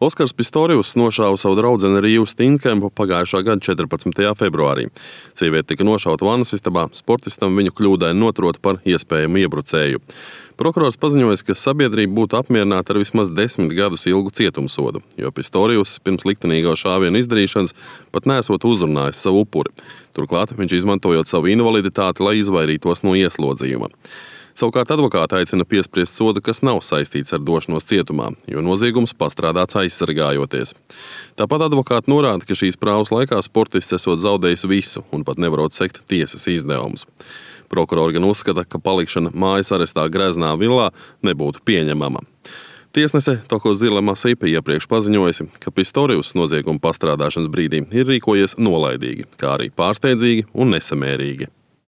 Oskars Pistorijus nošāva savu draudzeni Rīvu Steinkempu pagājušā gada 14. februārī. Sieviete tika nošauta vannasistabā, sportistam viņu kļūdaini noturot par iespējamu iebrucēju. Prokurors paziņoja, ka sabiedrība būtu apmierināta ar vismaz 10 gadus ilgu cietumsodu, jo Pistorijus pirms liktenīgo šāvienu izdarīšanas pat nesot uzrunājis savu upuri. Turklāt viņš izmantojot savu invaliditāti, lai izvairītos no ieslodzījuma. Savukārt advokāti aicina piespriest sodu, kas nav saistīts ar došanos cietumā, jo noziegums pastrādāts aizsargājoties. Tāpat advokāti norāda, ka šīs prāvas laikā sportists esot zaudējis visu un pat nevarot sekt tiesas izdevumus. Prokurori gan uzskata, ka palikšana mājas arestā Greznā villā nebūtu pieņemama. Tiesnese Toko Zilema Sipe iepriekš paziņojusi, ka Pistorijus nozieguma pastrādāšanas brīdī ir rīkojies nolaidīgi, kā arī pārsteidzīgi un nesamērīgi.